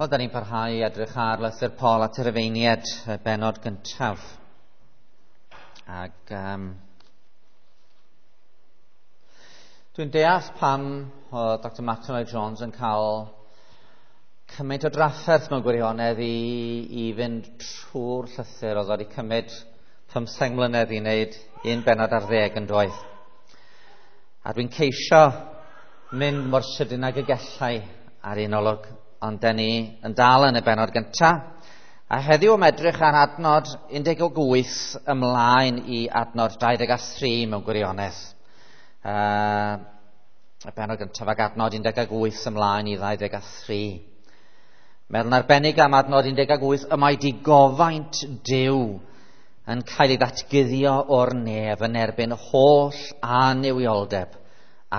Wel, da ni'n parhau i edrych ar lythyr Paul at y Rufeiniaid, y bennod gyntaf. Ac dwi'n deall pam oedd Dr Martyn Lloyd Jones yn cael cymaint o drafferth mewn gwirionedd i fynd trwy'r llythyr. Oedd wedi cymryd 15 mlynedd i wneud un bennod ar ddeg yn doedd. A dwi'n ceisio mynd mor sydyn ag y gallai ar un olwg, ond den ni yn dal yn y bennod gyntaf. A heddiw am edrych ar adnod 18 ymlaen i adnod 23 mewn gwirionedd. Y bennod gyntaf ag adnod 18 ymlaen i 23. Meddwl yn arbennig am adnod 18, y mae digofaint Duw yn cael ei ddatguddio o'r nef yn erbyn holl annuwioldeb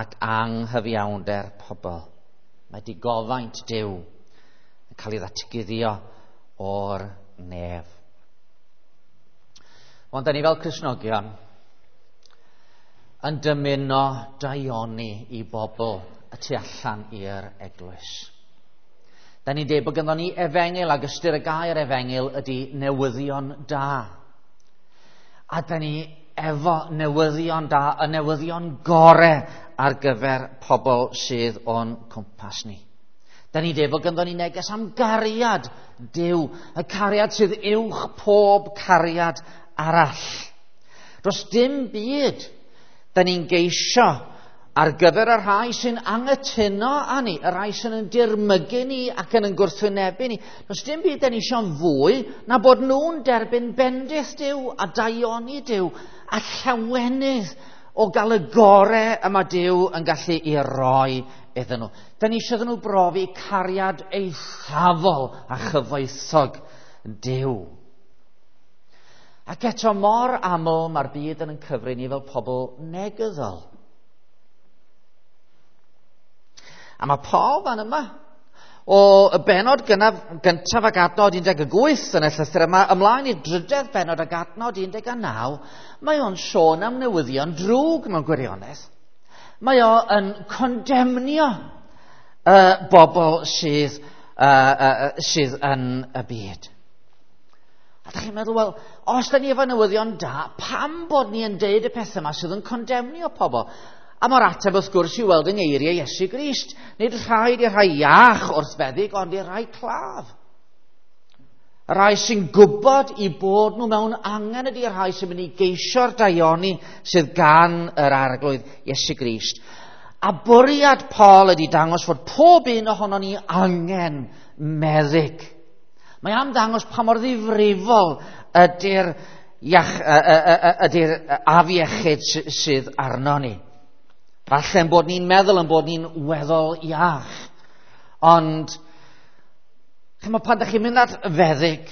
ac anghyfiawnder pobl. Mae digofaint Duw yn cael ei ddatguddio o'r nef. Ond da ni fel Cristnogion yn dymuno daioni i bobl y tu allan i'r eglwys. Da ni'n dweud bod ganddo ni efengyl, ac ystyr y gair efengyl ydy newyddion da. A da ni efo newyddion da, y newyddion gore ar gyfer pobl sydd o'n cwmpas ni. Da ni'n dweud bod ganddo ni neges am gariad Duw, y cariad sydd uwch pob cariad arall. Does dim byd da ni'n geisio ar gyfer y rhai sy'n anghytuno â ni, y rhai sy'n yn dirmygu ni ac yn gwrthwynebu ni. Does dim byd da ni eisiau'n fwy na bod nhw'n derbyn bendith Duw a daioni Duw a llawenydd o gael y gore y mae Duw yn gallu i roi iddyn nhw. Da ni eisiau iddyn nhw brofi cariad eithafol a chyfoethog Duw. Ac eto mor aml mae'r byd yn cyfri ni fel pobl negyddol. A mae Paul fan yma, o y bennod gyntaf ag adnod 18 yn y llythyr yma, ymlaen i'r drydedd bennod ag adnod 19, mae o'n sôn am newyddion drwg mewn gwirionedd. Mae o yn condemnio y bobl sydd yn y byd. A da chi'n meddwl, wel, os da ni efo newyddion da, pam bod ni yn deud y pethau yma sydd yn condemnio pobl? A mae'r ateb wrth gwrs i'w weld yng ngeiriau Iesu Grist. Nid rhaid i'r rhai iach wrth feddyg, ond i'r rhai claf. Y rhai sy'n gwybod i bod nhw mewn angen ydy'r rhai sy'n mynd i geisio'r daioni sydd gan yr Arglwydd Iesu Grist. A bwriad Paul ydy dangos fod pob un ohonon ni angen meddyg. Mae am ddangos pa mor ddifrifol ydy'r afiechyd sydd arno ni. Falle'n bod ni'n meddwl yn bod ni'n weddol iach. Ond, chimod, pan ydych chi'n mynd at feddyg,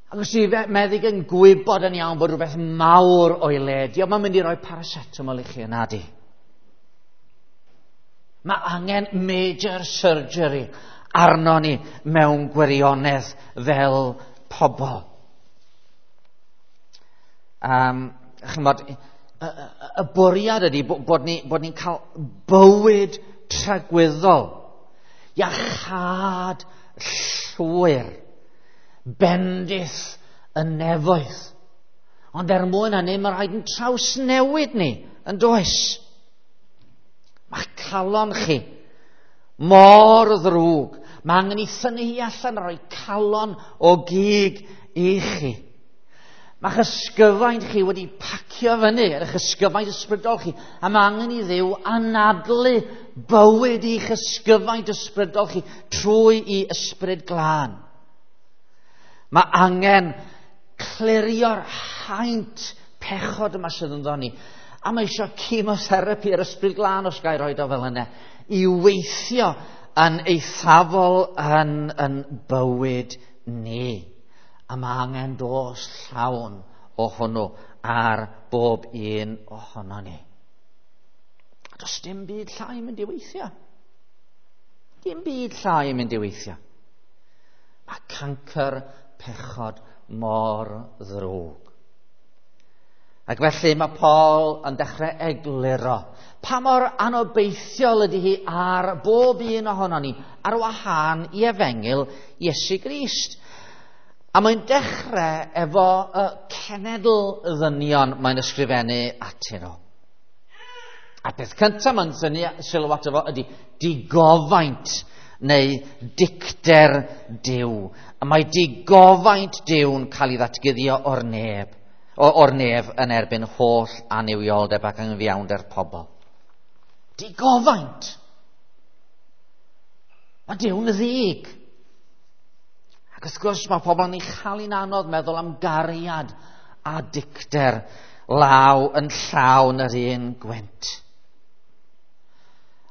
ac os yw meddyg yn gwybod yn iawn bod rhywbeth mawr o'i le, dio'm yn mynd i roi paracetamol i chi yna di. Mae angen major surgery arno ni mewn gwirionedd fel pobl. Chimod, y bwriad ydy bod ni'n cael bywyd tragwyddol, iachâd llwyr, bendith y nefoedd. Ond er mwyn hynny, mae rhaid yn trawsnewid ni, yn does? Mae calon chi mor ddrwg. Mae angen i thynnu hi allan a rhoi calon o gig i chi. Mae'ch ysgyfaint chi wedi pacio fyny, eich ysgyfaint ysbrydol chi, a mae angen i Dduw anadlu bywyd i'ch ysgyfaint ysbrydol chi trwy i ysbryd glân. Mae angen clirio'r haint pechod yma sydd ynddo ni. A mae eisiau chemotherapy yr ysbryd glân, os ga i roed o fel yna, i weithio yn eithafol yn bywyd ni. A mae angen dos llawn o hwnnw ar bob un ohono ni. A does dim byd llai yn mynd i weithio. Dim byd llai yn mynd i weithio. Mae cancr pechod mor ddrwg. Ac felly mae Paul yn dechrau egluro pa mor anobeithiol ydy hi ar bob un ohonon ni ar wahân i efengyl Iesu Grist. A mae'n dechrau efo y cenedl ddynion mae'n ysgrifennu atyn nhw. A peth cyntaf mae'n tynnu sylw ato fo ydy digofaint neu dicter Duw. A mae digofaint Duw'n cael ei ddatguddio o'r neb, o'r nef yn erbyn holl annuwioldeb ac anghyfiawnder pobl. Digofaint. Mae Duw'n ddig. Ac wrth gwrs mae pobl yn ei chael hi'n anodd meddwl am gariad a dicter law yn llaw yn yr un gwynt.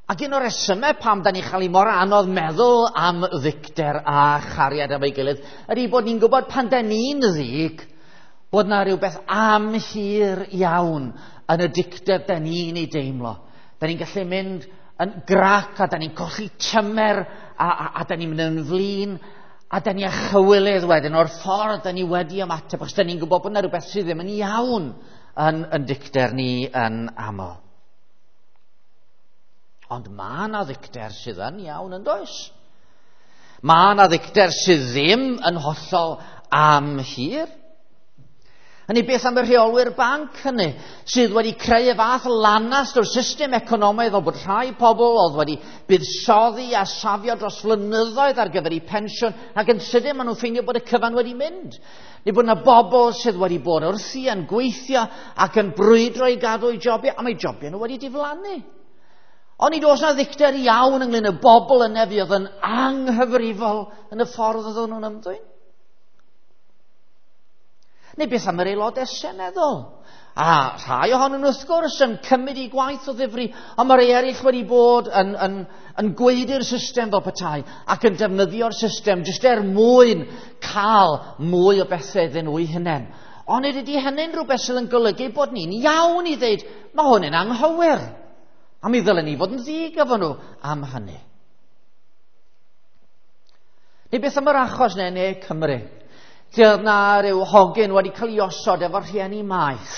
Ac un o'r resymau pam da ni'n chael ei mor anodd meddwl am ddicter a chariad am ei gilydd ydy bod ni'n gwybod pan da ni'n ddig bod na rhywbeth amhur iawn yn y dicter da ni'n ei deimlo. Da ni'n gallu mynd yn grac a da ni'n colli tymer a da ni'n mynd yn flin a da ni â chywilydd wedyn o'r ffordd da ni wedi ymateb, achos da ni'n gwybod bod yna rhywbeth sydd ddim yn iawn yn dicter ni yn aml. Ond mae yna ddicter sydd yn iawn yn does? Mae yna ddicter sydd ddim yn hollol amhur. Hynny beth am y rheolwyr banc hynny, sydd wedi creu y fath lanast o'r system economaidd fel bod rhai pobl oedd wedi buddsoddi a safio dros flynyddoedd ar gyfer eu pensiwn, ac yn sydyn maen nhw'n ffeindio bod y cyfan wedi mynd. Neu bod yna bobl sydd wedi bod wrthi yn gweithio ac yn brwydro i gadw eu jobiau, a mae jobiau nhw wedi diflannu. Ond nid oes yna ddicter iawn ynglyn y bobl yna fuodd yn anghyfrifol yn y ffordd oedden nhw'n ymddwyn. Neu beth am yr aelodau seneddol? A rhai ohonyn nhw wrth gwrs yn cymryd eu gwaith o ddifri, ond mae rhai eraill wedi bod yn gweudu'r system fel petai ac yn defnyddio'r system jyst er mwyn cael mwy o bethau iddyn nhw eu hunain. Ond nid ydy hynny'n rhywbeth sydd yn golygu bod ni'n iawn i ddeud, mae hwn yn anghywir. A mi ddylen ni fod yn ddig efo nhw am hynny. Neu beth am yr achos neu Ne Cymru? Lle oedd na ryw hogyn wedi cael ei osod efo'r rhieni maeth.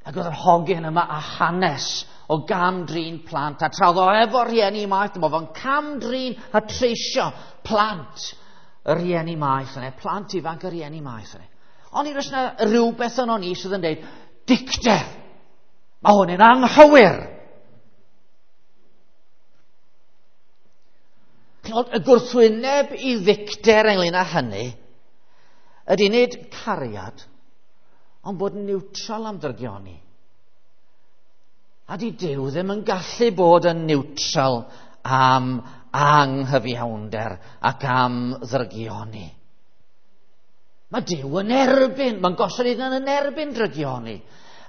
Ac oedd yr hogyn yma â hanes o gam-drin plant. A tra oedd o efo'r rhieni maeth, dyma fo'n cam-drin a treisio plant y rhieni maeth yna, plant ifanc y rhieni maeth yna. Ond nid oes yna rhywbeth yno ni sydd yn dweud, dicter, mae hwn yn anghywir. Y gwrthwyneb i ddicter ynglyn â hynny ydy nid cariad, ond bod yn niwtral am ddrygioni. A di Duw ddim yn gallu bod yn niwtral am anghyfiawnder ac am ddrygioni. Mae Duw yn erbyn, mae'n gosod ei hunan yn erbyn drygioni.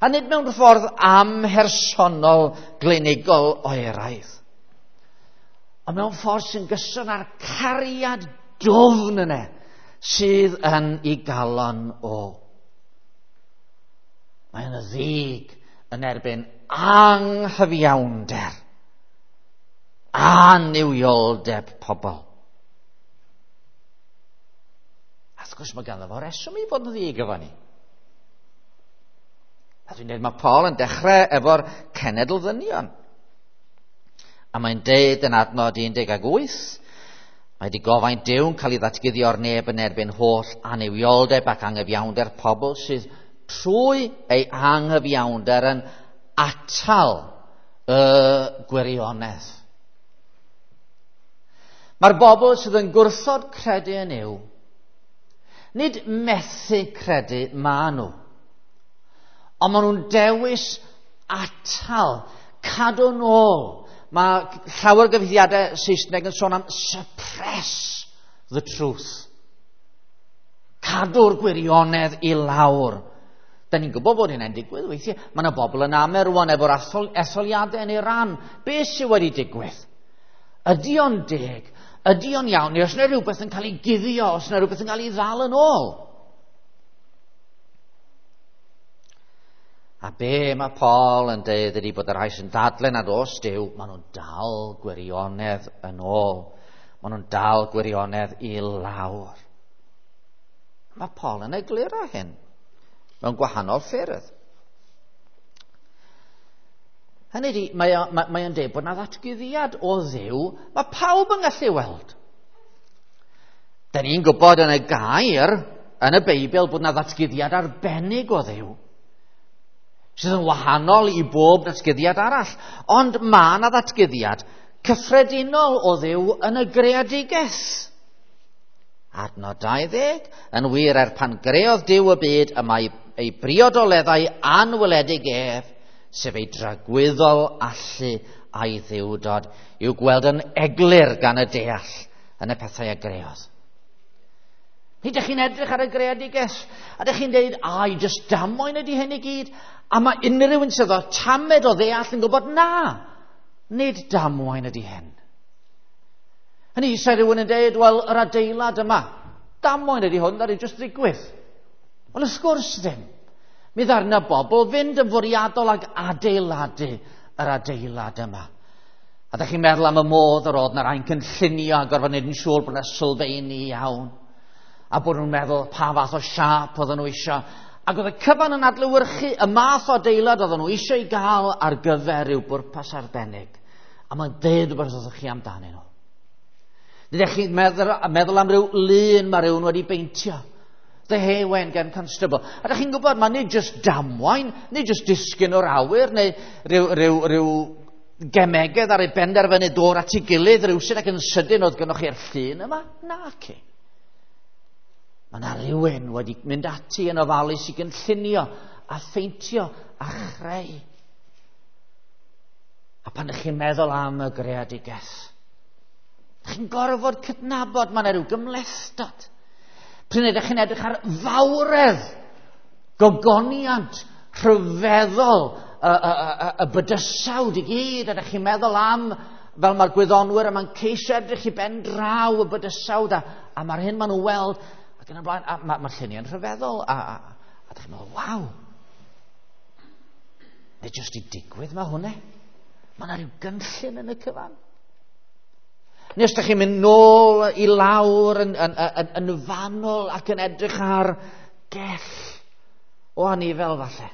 A nid mewn ffordd amhersonol glinigol oeraidd. Ond mewn ffordd sy'n gyson â'r cariad dwfn yna sydd yn ei galon o. Mae'n ddig yn erbyn anghyfiawnder a nuwioldeb pobl. A wrth gwrs mae ganddo fo reswm i fod yn ddig efo ni. A dwi'n dweud mae Paul yn dechrau efo'r cenedl ddynion. A mae'n deud yn adnod 18, mae digofaint Duw'n cael ei ddatguddio o'r neb yn erbyn holl annuwioldeb ac anghyfiawnder pobl sydd trwy ei anghyfiawnder yn atal y gwirionedd. Mae'r bobl sydd yn gwrthod credu yn Nuw, nid methu credu ma nhw, ond maen nhw'n dewis atal, cadw nôl. Mae llawer o gyfieithiadau Saesneg yn sôn am suppress the truth. Cadw'r gwirionedd i lawr. Da ni'n gwybod bod hynny'n digwydd weithiau. Mae yna bobl yn amau rwan efo'r etholiadau yn Iran. Be sydd wedi digwydd? Ydy o'n deg? Ydy o'n iawn? Neu os yna rhywbeth yn cael ei guddio, os yna rhywbeth yn cael ei ddal yn ôl? A be mae Paul yn deud ydy bod y rhai sy'n dadlau nad oes Duw, maen nhw'n dal gwirionedd yn ôl. Maen nhw'n dal gwirionedd i lawr. Mae Paul yn egluro hyn. Mewn gwahanol ffyrdd. Hynny ydi, mae o'n dweud bod yna ddatguddiad o Dduw mae pawb yn gallu weld. Da ni'n gwybod yn y gair, yn y Beibl, bod yna ddatguddiad arbennig o Dduw, sydd yn wahanol i bob datguddiad arall. Ond mae yna ddatguddiad cyffredinol o Dduw yn y greadigaeth. Adnod 20, yn wir er pan greodd Duw y byd, y mae ei briodoleddau anweledig ef, sef ei dragwyddol allu a'i ddiwdod, i'w gweld yn eglur gan y deall yn y pethau a greodd. Nid ydych chi'n edrych ar y greadigaeth, a ydych chi'n dweud, ai, jyst damwain ydy hyn i gyd, a mae unrhyw un sydd o tamed o ddeall yn gwybod, na, nid damwain ydy hyn. Hynny, se rhywun yn dweud, wel, yr adeilad yma, damwain ydy hwn, ddaru jyst ddigwydd. Wel, wrth gwrs ddim. Mi ddaru 'na bobl fynd yn fwriadol ag adeiladu yr adeilad yma. A ydych chi'n meddwl am y modd yr oedd 'na rai'n cynllunio a gorfod wneud yn siŵr bod 'na sylfeini iawn. A bod nhw'n meddwl pa fath o siâp oedden nhw eisiau. Ac oedd y cyfan yn adlewyrchu y math o adeilad oedden nhw eisiau ei gael ar gyfer rhyw bwrpas arbennig. A mae'n deud rhywbeth wrthych chi amdanyn nhw. Nid ydych chi'n meddwl am ryw lun mae rhywun wedi beintio. The Hay Wain gan Constable. A ydych chi'n gwybod, mae nid jyst damwain, nid jyst disgyn o'r awyr, neu rhyw gemegedd ar ei benderfynu dod at ei gilydd rhywsut ac yn sydyn oedd gynnwch chi'r llun yma. Naci. Mae yna rhywun wedi mynd ati yn ofalus i gynllunio a pheintio a chreu. A pan ydych chi'n meddwl am y greadigaeth, ydych chi'n gorfod cydnabod mae yna rhyw gymhlethdod. Pryd ydych chi'n edrych ar fawredd, gogoniant, rhyfeddol, y bydysawd i gyd, ydych chi'n meddwl am, fel mae'r gwyddonwyr yma'n ceisio edrych i ben draw y bydysawd, a mae'r hyn maen nhw'n weld, ac yn y blaen, a mae'r lluniau'n rhyfeddol, a ydych chi'n meddwl, waw, nid jyst i digwydd mae hwnna. Mae yna rhyw gynllun yn y cyfan. Neu os ydych chi'n mynd nôl i lawr yn fanwl ac yn edrych ar gell o anifel falle.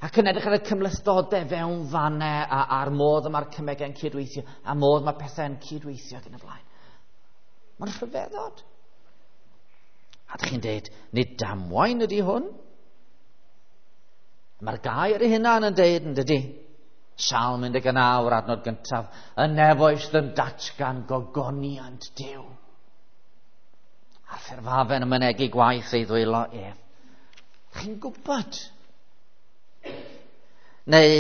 Ac yn edrych ar y cymhlethdodau fewn fannau a'r modd y mae'r cemegau'n cydweithio, a modd mae pethau'n cydweithio ac yn y blaen. Mae'n rhyfeddod. A ydych chi'n deud, nid damwain ydy hwn? Mae'r gair ei hunan yn deud, yn dydy? Salm 19, yr adnod gyntaf, y nefoedd sydd yn datgan gogoniant Duw. A'r ffurfafen yn mynegi gwaith ei ddwylo ef. Chi'n gwybod? Neu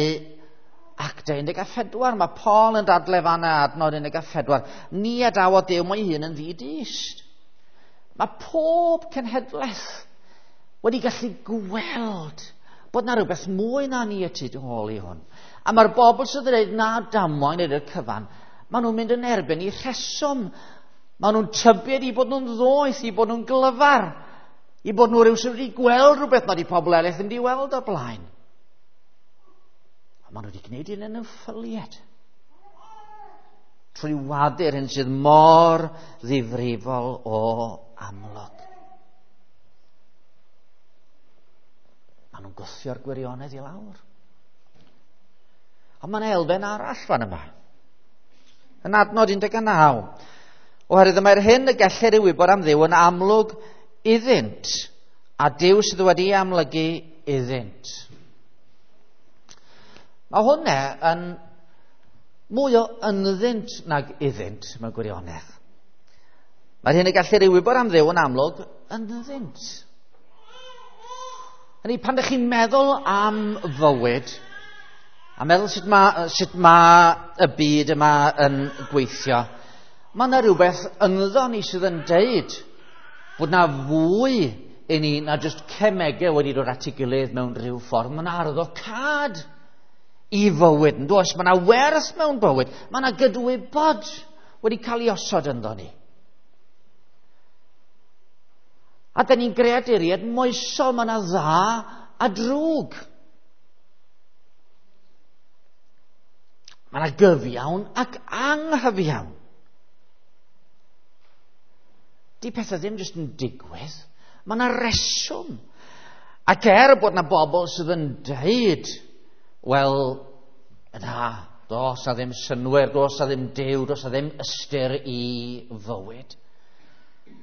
Actau 14, mae Paul yn dadle fanna adnod 14. Ni adawodd Duw mo'i hun yn ddi-dyst. Mae pob cenhedlaeth wedi gallu gweld bod na rhywbeth mwy na ni y tu ôl i hwn. A mae'r bobl sydd yn dweud na damwain ydy'r cyfan, maen nhw'n mynd yn erbyn i rheswm. Maen nhw'n tybied i bod nhw'n ddoeth, i bod nhw'n glyfar, i bod nhw rhyw sydd wedi gweld rhywbeth nad i pobl eraill yn di weld o'r blaen. A maen nhw wedi gwneud un yn ffyliad. Trwy wadu'r hyn sydd mor ddifrifol o amlwg. Maen nhw'n gwthio'r gwirionedd i lawr. Ond mae'n elfen arall fan yma. Yn adnod 19. Oherwydd mae'r hyn y gellir ei wybod am Dduw yn amlwg iddynt, a Duw sydd wedi amlygu iddynt. Mae hwnna yn mwy o ynddynt nag iddynt mewn gwirionedd. Mae'r hyn y gellir ei wybod am Dduw yn amlwg ynddynt. Hynny, pan ydych chi'n meddwl am fywyd, a meddwl sut mae y byd yma yn gweithio, mae yna rhywbeth ynddo ni sydd yn deud bod yna fwy i ni na jyst cemegau wedi dod at ei gilydd mewn rhyw ffordd. Mae yna arwyddocâd i fywyd, yn does? Mae yna werth mewn bywyd. Mae yna gydwybod wedi cael ei osod ynddo ni. A da ni'n greaduriaid moesol, mae yna dda a drwg. Mae yna gyfiawn ac anghyfiawn. Di pethau ddim jyst yn digwydd. Mae yna reswm. Ac er bod na bobl sydd yn deud, wel, na, does na ddim synnwyr, does na ddim Duw, does na ddim ystyr i fywyd.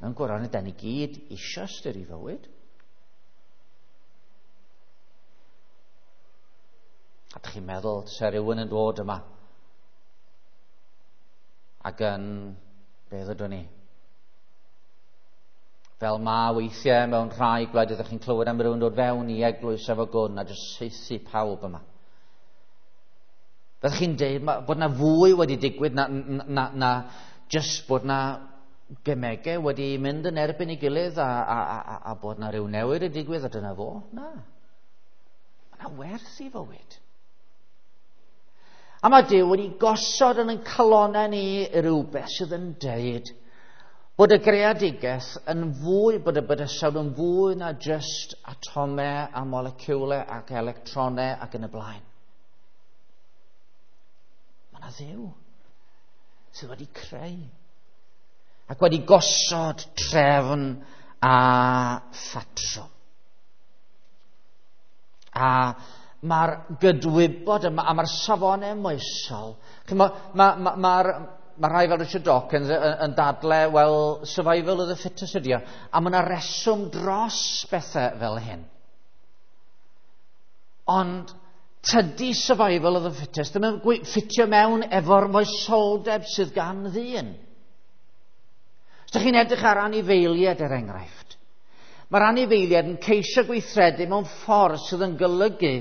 Mewn gwirionedd, da ni gyd isio ystyr i fywyd. A dych chi'n meddwl, se rhywun yn dod yma ac yn, beth ydw ni? Fel ma weithiau mewn rhai gwledydd ydych chi'n clywed am rhywun dod fewn i eglwys efo gwn a jyst saethu pawb yma. Fyddech chi'n deud bod na fwy wedi digwydd na jyst bod na gemegau wedi mynd yn erbyn ei gilydd a bod na rhyw newid yn digwydd a dyna fo? Na. Mae na werth i fywyd. A mae Duw wedi gosod yn ein calonnau ni rhywbeth sydd yn deud bod y greadigaeth yn fwy, bod y bydysawd yn fwy na jyst atomau a moleciwlau ac electronau ac yn y blaen. Mae yna Dduw sydd wedi creu ac wedi gosod trefn a phatrwm. A mae'r gydwybod yma, a mae'r safonau moesol, mae rhai fel Richard Dawkins yn dadle, wel, survival of the fittest ydi o, a mae yna reswm dros bethau fel hyn. Ond tydi survival of the fittest ddim yn ffitio mewn efo'r moesoldeb sydd gan ddyn. Os ydych chi'n edrych ar anifeiliaid, er enghraifft, mae'r anifeiliaid yn ceisio gweithredu mewn ffordd sydd yn golygu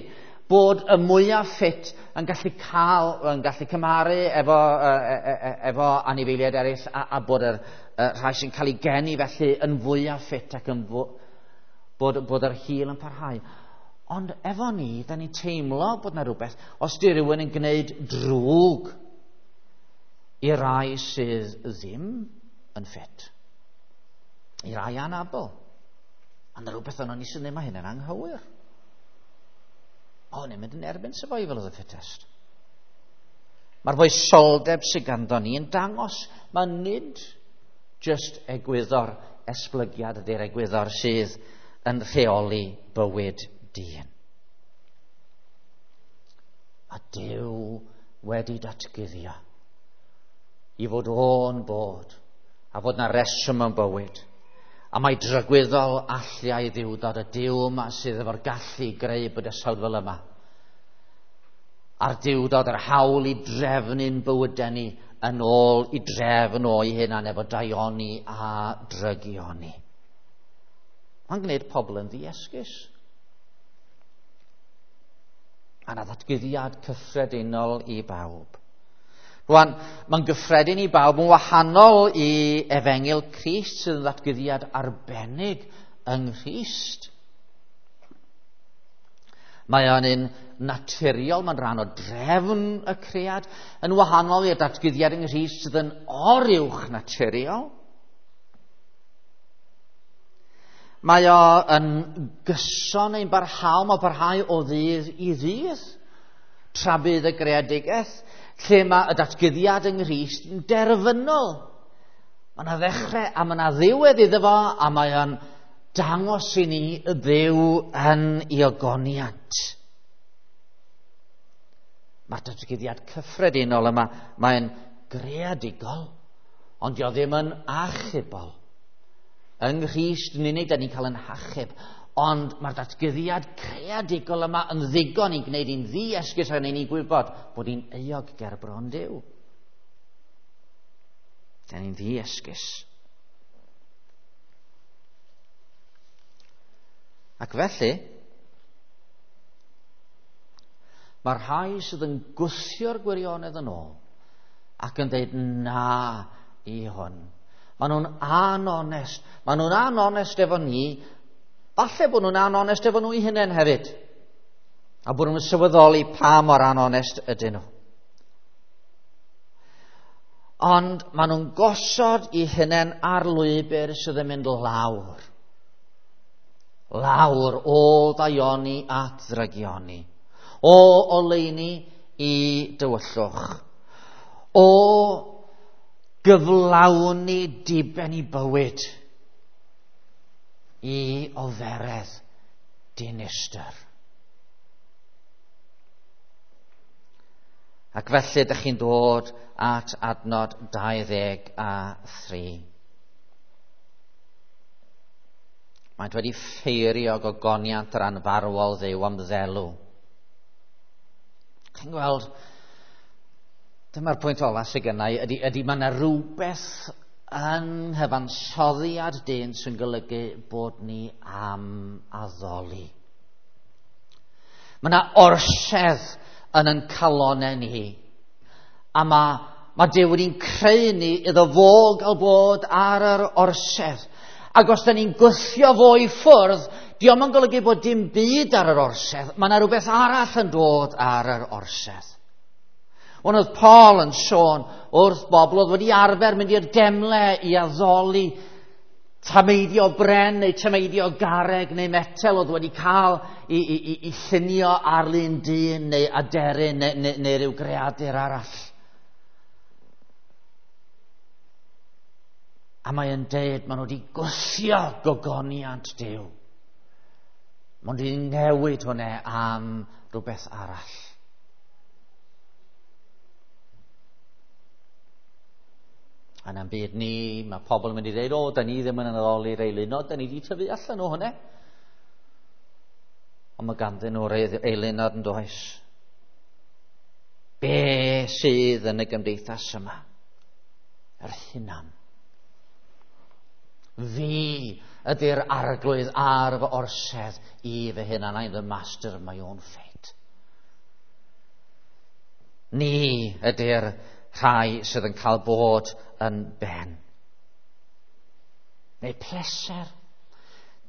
bod y mwyaf ffit yn gallu cael, yn gallu cymharu efo anifeiliaid eraill a bod yr rhai sy'n cael ei geni felly yn fwyaf ffit ac yn bod yr hil yn parhau. Ond efo ni, da ni'n teimlo bod na rhywbeth, os di rhywun yn gwneud drwg i rai sydd ddim yn ffit, i rai anabl, a na rhywbeth yno ni sy'n ddim, mae hyn yn anghywir. O, ni'n mynd yn erbyn survival of the fittest. Mae'r foesoldeb sydd ganddo ni yn dangos, mae nid just egwyddor esblygiad ydy'r egwyddor sydd yn rheoli bywyd dyn. A Duw wedi datguddio i fod o'n bod a fod na reswm yn bywyd. A mae dragwyddol alliau ddiwdod y Duw yma sydd efo'r gallu i greu bydysawd fel yma. A'r diwdod yr hawl i drefnu'n bywydau ni yn ôl i drefn o'i hunan efo daioni a drygioni. Mae'n gwneud pobl yn ddiesgus. A na ddatguddiad cyffredinol i bawb. Rwan, mae'n gyffredin i bawb yn wahanol i Efengyl Crist sydd yn ddatguddiad arbennig yng Nghrist. Mae o'n un naturiol, mae'n rhan o drefn y cread, yn wahanol i'r datguddiad yng Nghrist sydd yn oruwch naturiol. Mae o yn gyson ein barhaol, mae'n parhau o ddydd i ddydd, tra bydd y greadigaeth, lle mae y datguddiad yng Nghrist yn derfynol. Mae yna ddechrau a mae yna ddiwedd iddo fo, a mae o'n dangos i ni y Dduw yn ei ogoniant. Mae'r datguddiad cyffredinol yma, mae'n greadigol, ond dio ddim yn achubol. Yng Nghrist yn unig, da ni'n cael yn hachub, ond mae'r datguddiad creadigol yma yn ddigon i'n gwneud i'n ddi-esgus a ni'n gwybod bod ni'n euog ger bron Duw. Da ni'n ddi-esgus. Ac felly, mae'r rhai sydd yn gwthio'r gwirionedd yn ôl ac yn dweud na i hwn. Maen nhw'n anonest. Maen nhw'n anonest efo ni. Falle bod nhw'n anonest efo nhw eu hunain hefyd. A bod nhw'n sylweddoli pa mor anonest ydyn nhw. Ond maen nhw'n gosod eu hunain ar lwybr sydd yn mynd lawr. Lawr o ddaioni at ddrygioni. O oleuni i dywyllwch. O gyflawni diben i bywyd i oferedd, Dinistr. Ac felly ydych chi'n dod at adnod 23. Maent wedi ffeirio gogoniant yr anfarwol Dduw am ddelw. Chi'n gweld, dyma'r pwynt ola sydd gennau, ydy mae yna rhywbeth yng nghyfansoddiad dyn sy'n golygu bod ni am addoli. Mae yna orsedd yn ein calonau ni. A mae Duw wedi'n creu ni iddo fo gael bod ar yr orsedd. Ac os da ni'n gwthio fo i ffwrdd, dio'm yn golygu bod dim byd ar yr orsedd. Mae yna rhywbeth arall yn dod ar yr orsedd. Ond oedd Paul yn sôn wrth bobl oedd wedi arfer mynd i'r demle i addoli tameidio bren neu tameidio garreg neu metel oedd wedi cael i llunio ar lun dyn neu aderyn neu ryw greadur arall. A mae yn deud, maen nhw wedi gwthio gogoniant Duw. Maen nhw wedi newid hwnna am rhywbeth arall. A na'n byd ni, mae pobl yn mynd i ddeud, o, da ni ddim yn addoli'r eilunod, da ni wedi tyfu allan o hwnna. Ond mae ganddyn nhw'r eilunod yn does. Be sydd yn y gymdeithas yma? Yr hunan. Fi ydy'r arglwydd ar fy orsedd i fy hunan. I'm the master of my own fate. Ni ydy'r rhai sydd yn cael bod yn ben. Neu pleser.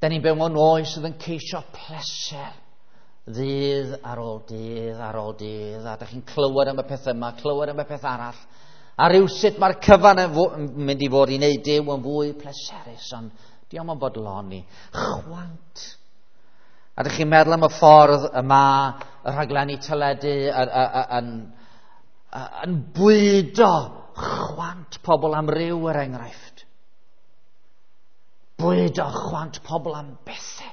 Da ni'n byw mewn oes sydd yn ceisio pleser. Ddydd ar ôl dydd ar ôl dydd. A da chi'n clywed am y peth yma, clywed am y peth arall. A rywsut mae'r cyfan yn mynd i fod i wneud Duw yn fwy pleserus, ond dio'm yn bodloni. Chwant. A dych chi'n meddwl am y ffordd y mae y rhaglenni teledu yn bwydo chwant pobl am ryw, er enghraifft. Bwydo chwant pobl am bethau.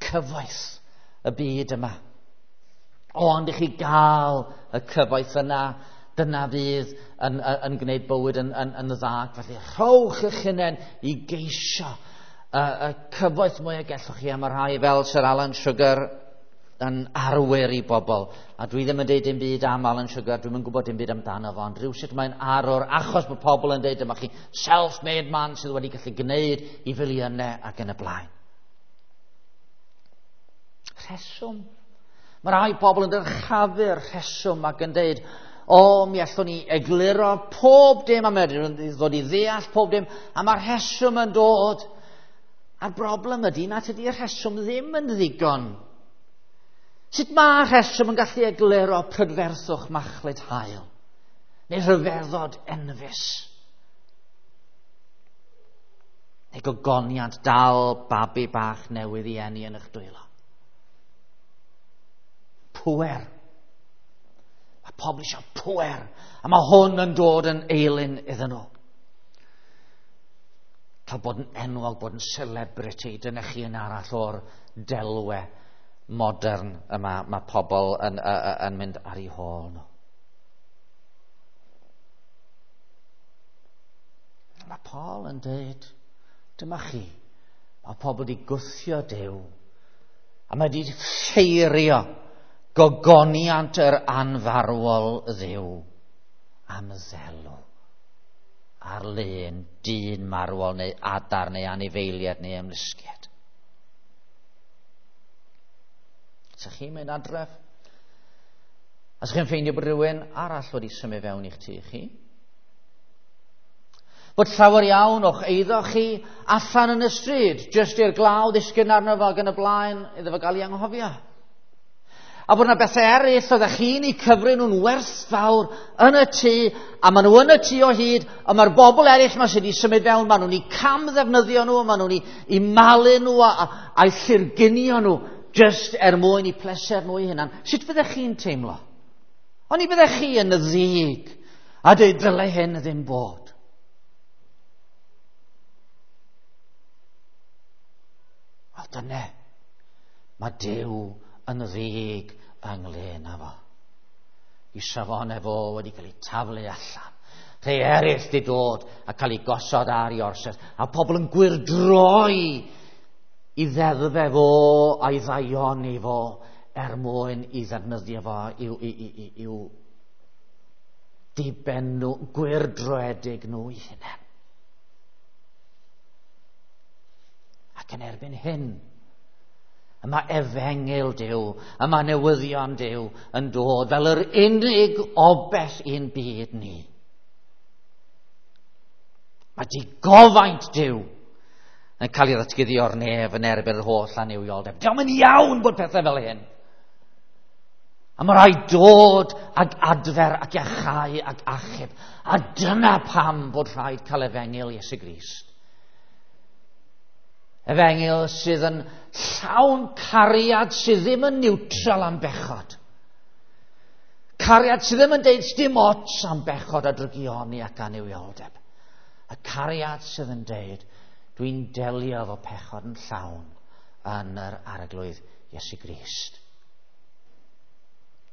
Cyfoeth y byd yma. Ond i chi gael y cyfoeth yna, dyna fydd yn gwneud bywyd yn dda. Felly rhowch eich hunain i geisio y cyfoeth mwy y gellwch chi. A mae rhai fel Sir Alan Sugar yn arwyr i bobl. A dwi ddim yn deud dim byd am Alan Sugar, dwi'm yn gwybod dim byd amdano fo, ond rhywsut mae'n arwr achos bod pobl yn deud dyma chi self-made man sydd wedi gallu gwneud i filiynau ac yn y blaen. Rheswm. Mae rhai pobl yn dyrchafu'r rheswm ac yn deud, o, mi allwn ni egluro pob dim, a mae'n ddod i ddeall pob dim, a mae'r rheswm yn dod. A'r broblem ydy nad ydy'r rheswm ddim yn ddigon. Sut mae rheswm yn gallu egluro prydferthwch machlud haul, neu rhyfeddod enfys, neu gogoniant dal babi bach newydd i eni yn eich dwylo? Pŵer. Mae pobl eisiau pŵer, a mae hwn yn dod yn eilun iddyn nhw. Cael bod yn enwog, bod yn celebrity, dyna chi yn arall o'r delwe modern yma mae pobl yn mynd ar eu hôl nhw. Mae Paul yn dweud, dyma chi, mae pobl wedi gwthio Duw, a mae wedi ffeirio gogoniant yr anfarwol Dduw am ddelw ar lun dyn marwol neu adar neu anifeiliaid neu ymlusgiad. Sa chi'n mynd adref? A sa chi'n ffeindio bod rhywun arall wedi symud fewn i'ch tŷ chi? Bod llawer iawn o'ch eiddo chi allan yn y stryd, jyst i'r glaw ddisgyn arno fo ac yn y blaen, iddo fo gael ei anghofio. A bod yna bethau eraill oeddech chi'n eu cyfri nhw'n werthfawr yn y tŷ, a maen nhw yn y tŷ o hyd, a mae'r bobl eraill yma sydd wedi symud fewn, maen nhw'n eu camddefnyddio nhw, maen nhw'n eu malu nhw a'u llurgunio nhw, jyst er mwyn i pleser nhw eu hunan. Sut fyddech chi'n teimlo? Oni fyddech chi yn y ddig a dweud dylai hyn ddim bod? Dyna, mae Duw yn ddig ynglyn â fo. I safonau fo wedi cael ei taflu allan. Rhai eraill di dod a cael ei gosod ar ei orsedd. A pobl yn gwyrdroi i ddeddfau fo a'i ddaioni fo er mwyn i ddefnyddio fo i'w diben nhw, gwyrdroedig nhw i hunain. Ac yn erbyn hyn, y mae efengyl Duw, y mae newyddion Duw yn dod fel yr unig obell i'n byd ni. Mae digofaint Duw yn cael ei ddatguddio o'r nef yn erbyn yr holl annuwioldeb. Diolch yn iawn bod pethau fel hyn. A mae rhaid dod ag adfer ac iachau ac achub. A dyna pam bod rhaid cael efengyl Iesu Grist. Efengyl sydd yn llawn cariad sydd ddim yn niwtral am bechod. Cariad sydd ddim yn deud dim ots am bechod a drygioni ac annuwioldeb. Y cariad sydd yn deud dwi'n delio efo pechod yn llawn yn yr Arglwydd Iesu Grist.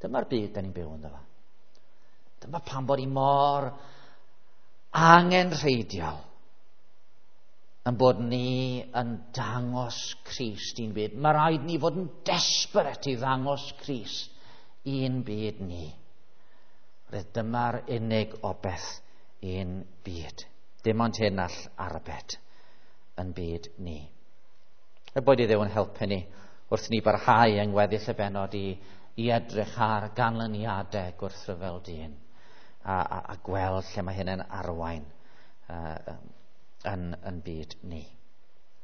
Dyma'r byd da ni'n byw ynddo fo. Dyma pam bod ni mor angenrheidiol yn bod ni yn dangos Crist i'n byd. Mae rhaid ni fod yn desperate i ddangos Crist i'n byd ni. Roedd dyma'r unig obeth i'n byd. Dim ond hyn all arbed yn byd ni. Y boed i Dduw yn helpu ni wrth ni barhau yng ngweddill y bennod i edrych ar ganlyniadau gwrthryfel dyn a gweld lle mae hyn yn arwain yn byd ni.